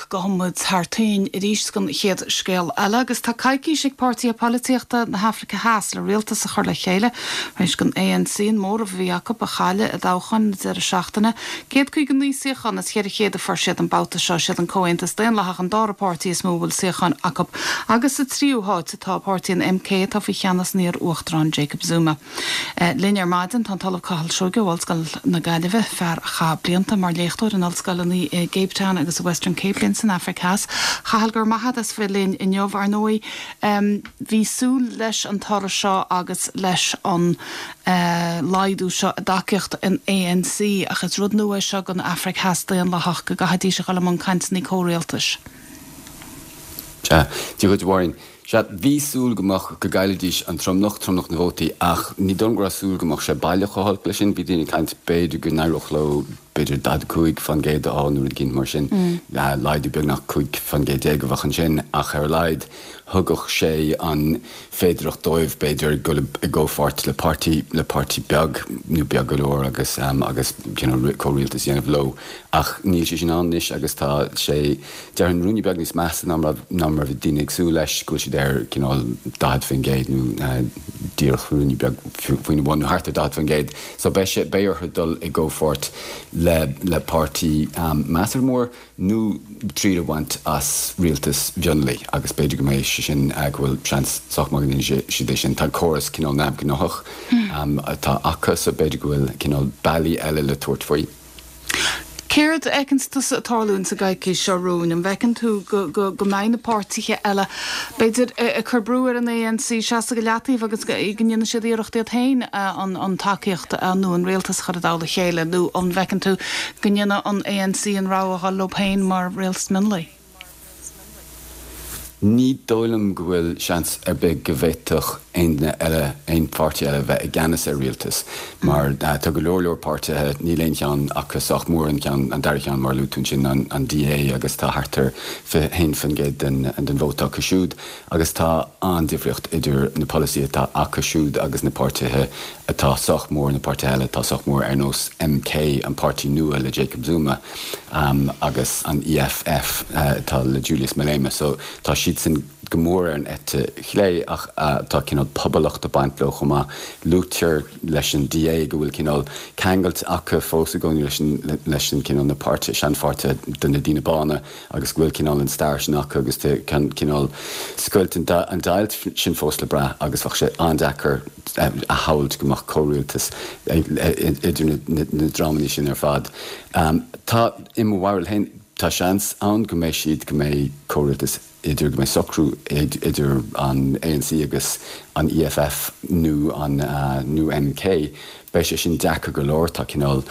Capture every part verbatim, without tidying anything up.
Gabhfaidh muid thar toinn arís don chéad scéal eile agus tá coicís ag páirtithe polaitíochta na hAfraice Theas le rialtas a chur le chéile éis don ANC an móramh a bhí acu a chailleadh i dtoghchán na deireadh seachtaine. Céad caoga naoi suíochán as ceithre chéad a fuair siad an babhta seo siad an Comhaontas Daonlathach an dara páirtí is mó bhfuil suíocháin acu agus sa tríú háit atá páirtí an MK atá faoi cheannas an iar-uachtaráin Jacob Zuma. Eh, linn ar maidin tá an tOllamh Cathal Seoige Ollscoil na Gaillimhe fear a chaith blianta mar léachtóir in ollscoileanna i Cape Town agus Western Cape in san Afraic Theas. Cathal go raibh maith agat as bheith linn inniu ar ndóigh. Um, bhí súil leis an toradh seo agus leis an uh, laghdú seo i dtacaíocht an ANC ach is rud nua seo don Afraic Theas daonlathach go gcaithfidís a dhul i mbun cainteanna comhrialtais. Sea, Dia duit Mháirín. Sea bhí súil go mbeadh go gcaillfidís an tromlach tromlach na vótaí ach ní dóigh go raibh súil go mbeadh sé baileach chomh holc leis sin bhí daoine ag caint b'fhéidir go n-éireodh leo b'fhéidir daichead cúig faoin gcéad á nó rud mar sin mm. laghdú beagnach cúig faoin gcéad déag a bheadh ansin ach ar a laghad thugadh sé an féidireacht dóibh b'fhéidir go i gcomhpháirt le páirtí le páirtí beag nó beag go leor agus um, agus you know, comhrialtas dhéanamh leo ach níl sé sin anois agus tá sé dear ruainne beag níos measa ná ná mar bhí daoine ag súil leis go bhfuil siad ar cineál daichead faoin gcéad nó díreach ruainne beag faoina bhun thart ar daichead faoin gcéad so beidh sé beidh orthu dul i gcomhpháirt le le páirtí um, measartha mór nó triail a bhaint as rialtas mhionlaigh agus b'fhéidir go mbeidh sé sin uh, go bhfuil seans sách maith go siad é sin tá córas cineál neamhghnách um, atá acu so b'fhéidir go bhfuil cineál bealaí eile le tabhairt faoi. Céard a fheiceann tusa ag tarlú sa gcoicís seo romhainn an bhfeiceann tú go, go, go mbeidh na páirtithe eile b'fhéidir ag cur brú ar an ANC seasamh go leataobh agus go ndéanfaidh siad iarracht iad féin an, an tacaíocht nó an rialtas chur i dtoll a chéile nó an bhfeiceann tú go ndéanfaidh an ANC an rogha a dhul leo féin mar rialtas mionlaigh. Ní dóigh liom go bhfuil seans ar bith go bhféadfadh aon duine eile aon pháirtí eile bheith i gceannas ar rialtas mar uh, tá go leor leor páirtithe níl aon cheann acu sách mór an ceann an dara ceann mar luaigh tú sin an, an DA agus tá thart ar haon faoin gcéad den, den vóta acu siúd agus tá an-difríocht idir na polasaithe atá acu siúd agus na páirtithe atá sách mór na páirtithe eile atá sách mór ar nós MK an páirtí nua le Jacob Zuma um, agus an EFF uh, atá le Julius Malema so tá siad sin go mór ar an eite chlé ach uh, tá cineál pobalacht ag baint leo chomh maith luaitear leis an DA go bhfuil cineál ceangailt acu fós i gcónaí leis an leis an cineál na páirtí seanpháirtí de na daoine bána agus go bhfuil cineál an stair sin acu agus cineál scoilt an deighilt sin fós le brath agus bheadh sé an-deacair a shamhlú go mbeadh comhrialtas idir na, na dreamanna sin ar fad. Um, tá i mo bharúil féin tá seans ann go mbeidh siad go mbeidh comhrialtas idir go mbeidh socrú idir an ANC agus an EFF nó an uh, nó MK, Beidh sé sin deacair go leor tá cineál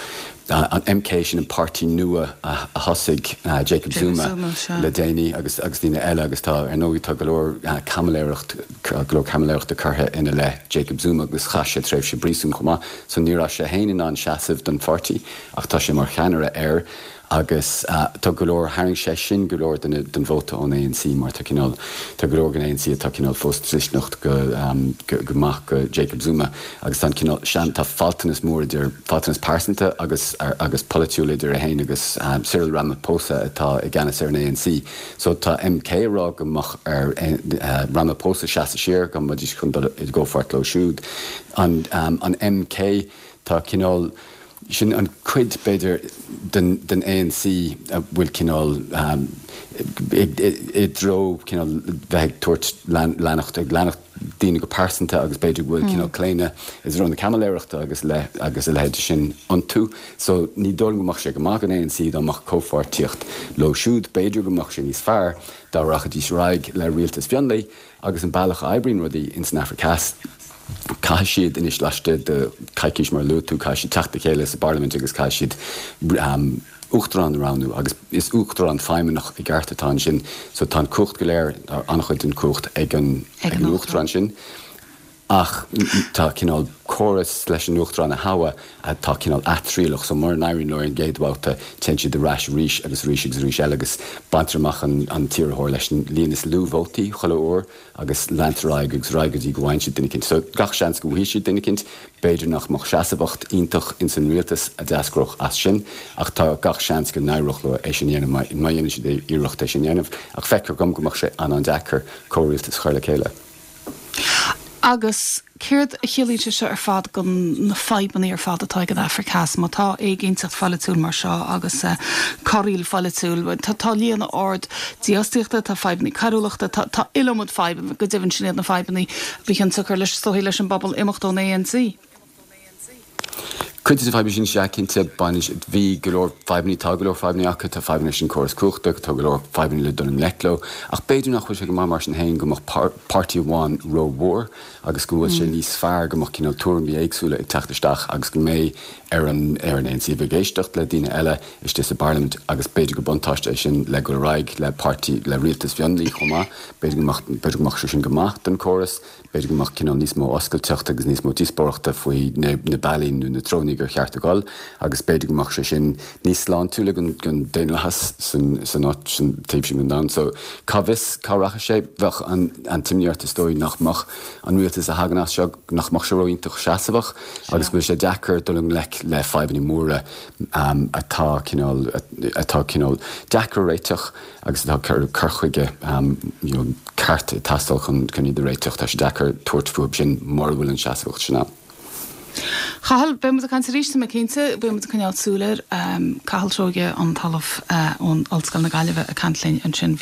an MK sin an páirtí nua a thosaigh uh, Jacob Zuma, Zuma le déanaí agus agus daoine eile agus tá ar ndóigh tá go leor uh, caimiléireacht go leor caimiléireachta curtha ina leith Jacob Zuma agus chaith sé tréimhse príosúin chomh maith, so ní raibh sé féin in ann seasamh don pháirtí ach tá sé mar cheannaire air agus uh, tá go leor tharraing sé sin go leor den, den vóta ón ANC mar tá cineál tá go leor den ANC atá cineál fós dlisteanach go, um, go, go maith go Jacob Zuma agus tá cineál sean tá faltanas mór idir faltanas pearsanta agus ar, agus polaitiúil idir é féin agus um, Cyril Ramaphosa atá i gceannas ar an ANC. So tá MK rá go mbeadh ar uh, Ramaphosa seasamh siar go mbeidís chun dul i gcomhpháirt leo siúd. An, um, an MK tá cineál sin an cuid b'fhéidir den, den ANC a bhfuil cineál um, i dtreo cineál bheith ag tabhairt leanacht ag leanacht daoine go pearsanta agus b'fhéidir bhfuil cineál claonadh is rud na caimiléireachta agus le agus a leithéid sin iontu, so ní dóigh go mbeadh sé go maith an ANC dá mbeadh comhpháirtíocht leo siúd b'fhéidir go mbeadh sé níos fearr dá rachaidís ar aghaidh le rialtas mhionlaigh agus an bealach a oibríonn rudaí in san Afraic Theas. Caithfidh siad anois laistigh de coicís mar luaigh tú caithfidh siad teacht le chéile sa bparlaimint agus caithfidh siad um, uachtarán a roghnú agus is uachtarán feidhmeannach i gceart atá ansin, so tá an cumhacht go léir an-chuid den chumhacht ag an ag an uachtarán sin. Ach tá cineál córas leis an uachtarán a thoghadh atá cineál atriallach, so mura n-éiríonn leo an gcéad bhabhta téann siad ar ais arís agus arís agus arís eile agus baintear amach an, an t-iarrthóir leis an líon is lú vótaí chuile uair agus leantar ar aghaidh agus ar aghaidh go dtí go bhfaigheann siad duine éicint. So gach seans go bhfaighidh siad duine éicint, b'fhéidir nach mbeadh seasmhacht iontach ins an rialtas a d'eascródh as sin, ach tá gach seans go n-éireodh leo é sin a dhéanamh má má dhéanann siad iarracht é sin a dhéanamh, ach feictear dom go mbeadh sé an-an-deacair comhrialtas a chur le chéile. Agus céard a chiallaíonn sé seo ar fad do na fadhbanna ar fad atá ag an Afraic Theas, má tá éiginnteacht pholaitiúil mar seo agus corraíl pholaitiúil, tá tá líon ard dífhostaíochta, tá fadhbanna coiriúlachta, tá tá iliomad fadhbanna, go deimhin sin iad na fadhbanna ba chionsiocair leis is dóigh leis an bpobal imeacht ón ANC. Cuid de na fadhbanna sin sea cinnte baineann bhí go leor fadhbanna tá go leor fadhbanna acu tá fadhbanna leis an córas cumhachta tá go leor fadhbanna le dul i ngleic leo ach b'fhéidir nach bhfuil sé go maith mar sin féin go mbeadh páirtí amháin rómhór agus go bhfuil sé níos fearr go mbeadh cineál tuairimí éagsúla ag teacht isteach agus go mbeidh ar an ar an ANC bheith ag éisteacht le daoine eile istigh sa bparlaimint agus b'fhéidir go buntáiste é sin le go raig le páirtí le rialtas mionlaigh chomh maith b'fhéidir go mbeadh b'fhéidir go mbeadh sé sin go maith don córas b'fhéidir go mbeadh cineál níos mó oscailteacht agus níos mó díospóireachta faoi na na bealaí nó na treonaí gur cheart a dhul agus b'fhéidir go mbeadh sé sin níos sláintiúla don don daonlathas san san áit san taobh sin den domhan. So cá bhfios cá rachaidh sé bheadh an an t-imní ort is dóigh nach mbeadh an rialtas a thagann as seo nach mbeadh sé ró-iontach seasmhach agus go bhfuil sé deacair dul i ngleic le fadhbanna móra um, atá cineál atá cineál deacair a réiteach agus atá cur cur chuige um, you know, ceart ag teastáil chun chun iad a réiteach tá sé deacair tabhairt fúthu sin mura bhfuil an seasmhacht sin ann. Cathal beimid ag caint arís tá mé cinnte beimid ag coinneáil súil air um, Cathal Seoige an tOllamh uh, ón Ollscoil na Gaillimhe ag caint linn ansin.